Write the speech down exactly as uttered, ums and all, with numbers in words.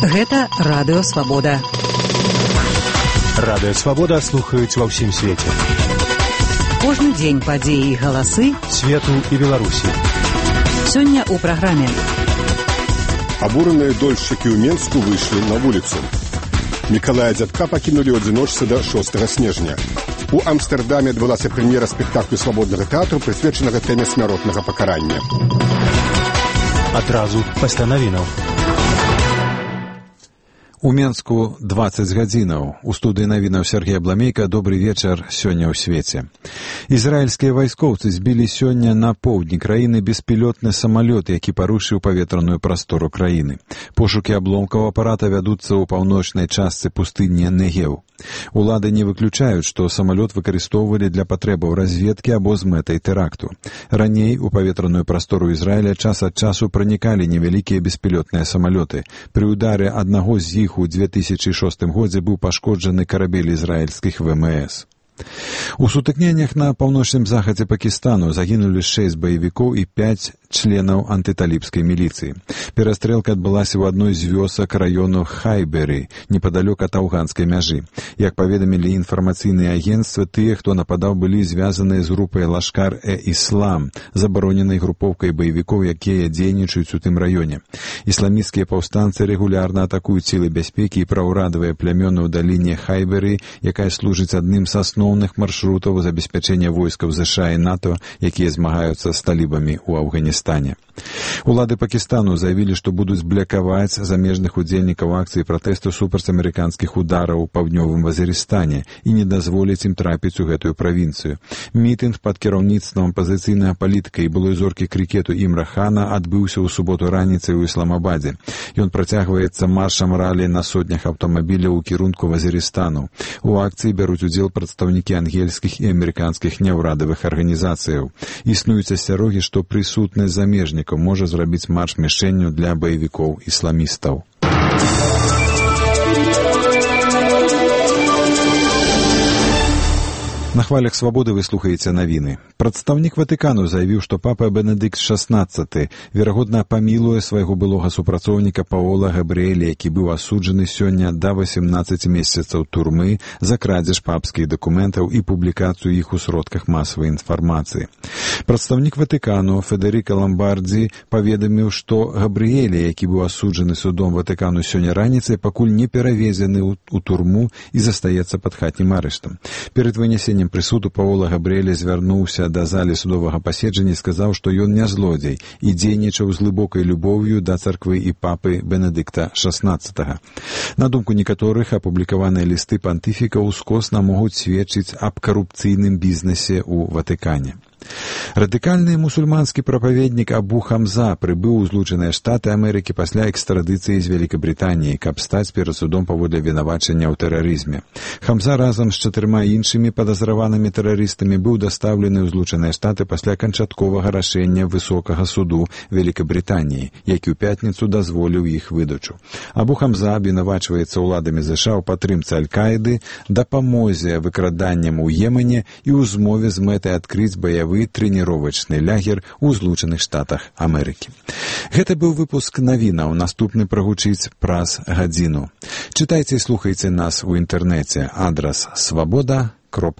Гэта Радыё Свабода. Радыё Свабода слухаюць ва ўсім свеце. Кожны дзень падзеі і галасы свету і Беларусі. Сёння ў праграме. Абураныя дольшчыкі ў Менску выйшлі на вуліцу. Мікалая Дзядка пакінулі ў адзіночцы да шостага снежня. У Амстэрдаме адбылася прэм'ера спектаклю свабоднага тэатру, прысвечанага тэме смяротнага пакарання. Адразу пасля навінаў. У Менску дваццаць гадзінаў. У студыі навінаў Сергей Абламейка. Добры вечар сёння ў свеце. Ізраільскія вайскоўцы збілі сёння на поўдні краіны беспілотны самалёт, які парушыў паветраную прастору краіны. Пошукі абломкаў апарата вядуцца ў паўночнай частцы пустыні Негев. Улады не выключаюць, што самалёт выкарыстоўвалі для патрэбаў разведкі або з мэтай тэракту. Раней у паветраную прастору Ізраіля час ад часу пранікалі невялікія беспілотныя самалёты. Пры ударе аднаго з іх у две тысячы шостым годзе быў пашкоджаны карабель ізраільскіх ВМС. У сутыкненнях на паўночным захадзе Пакістану загінулі шэсць баевікоў і пяць членаў антыталібскай міліцыі. Перастрэлка адбылася ў адной з вёсак раёну Хайберы, непадалёк ад афганскай мяжы. Як паведамілі інфармацыйныя агенцтвы, тыя, хто нападаў, былі звязаныя з групай Лашкар-э-Іслам, забароненай групоўкай баевікоў, якія дзейнічаюць у тым раёне. Ісламісцкія паўстанцы рэгулярна атакуюць сілы бяспекі і праўрадавыя плямёны ў даліне Хайберы, якая служыць адным з асноўных маршрутаў забеспячэння войскаў ЗША і НАТО, якія змагаюцца з талібамі ў Афганістане. Улады Пакістану заявілі, што будуць блякаваць замежных удзельнікаў акцыі пратэсту супраць амерыканскіх удараў у паўднёвым Вазірыстане і не дазволіць ім трапіць у гэтую правінцыю. Мітынг пад кіраўніцтвам пазіцыйнага палітыка і былой зоркі крыкету Імра Хана адбыўся ў суботу раніцай у Ісламабадзе. Ён працягваецца маршам ралі на сотнях аўтамабіляў у кірунку Вазірыстану. У акцыі бяруць удзел прадстаўнікі ангельскіх і амерыканскіх няўрадавых арганізацыяў. Існуюць асцярогі, што прысутны замежнік можа зрабіць марш мішэнню для баевікоў ісламістаў. На хвалях свабоды вы слухаеце навіны. Прадстаўнік Ватыкану заявіў, што папа Бенедыкт шаснаццаты верагодна памілуе свайго былога супрацоўніка Паола Габрыэля, які быў асуджаны сёння да васемнаццаці месяцаў турмы за крадзеж папскіх дакументаў і публікацыю іх у сродках масавай інфармацыі. Прадстаўнік Ватыкану Федэрыка Ламбардзі паведаміў, што Габрыэля, які быў асуджаны судом Ватыкану сёння раніцай, пакуль не перавезены ў турму і застаецца пад хатнім арыштам. Перад вынясеннем прысуду Паола Габрыэля звярнуўся да залі судовага паседжання і сказаў, што ён не злодзей і дзейнічаў з глыбокай любоўю да царквы і папы Бенедыкта шаснаццатага. На думку некаторых, апублікаваныя лісты пантыфіка ўскосна могуць сведчыць аб карупцыйным бізнесе ў Ватыкане. Радыкальны мусульманскі прапаведнік Абу Хамза прыбыў у Злучаныя Штаты Амерыкі пасля экстрадыцыі з Вялікабрытаніі, каб стаць перад судом паводле вінавачання ў тэрарызме. Хамза разам з чатырма іншымі падазраванымі тэрарыстамі быў дастаўлены ў Злучаныя Штаты пасля канчатковага рашэння Высокага суду Вялікабрытаніі, які ў пятніцу дазволіў іх выдачу. Абу Хамза абвінавачваецца ўладамі ЗША ў падтрымцы Аль-Каіды, дапамозе выкраданням у Йемене і ў змове з мэтай адкрыць баявы трэніровачны лагер у Злучаных Штатах Амерыкі. Гэта быў выпуск навінаў. Наступны прагучыць праз гадзіну. Чытайце і слухайце нас у інтэрнэце. Адрас свабода кропка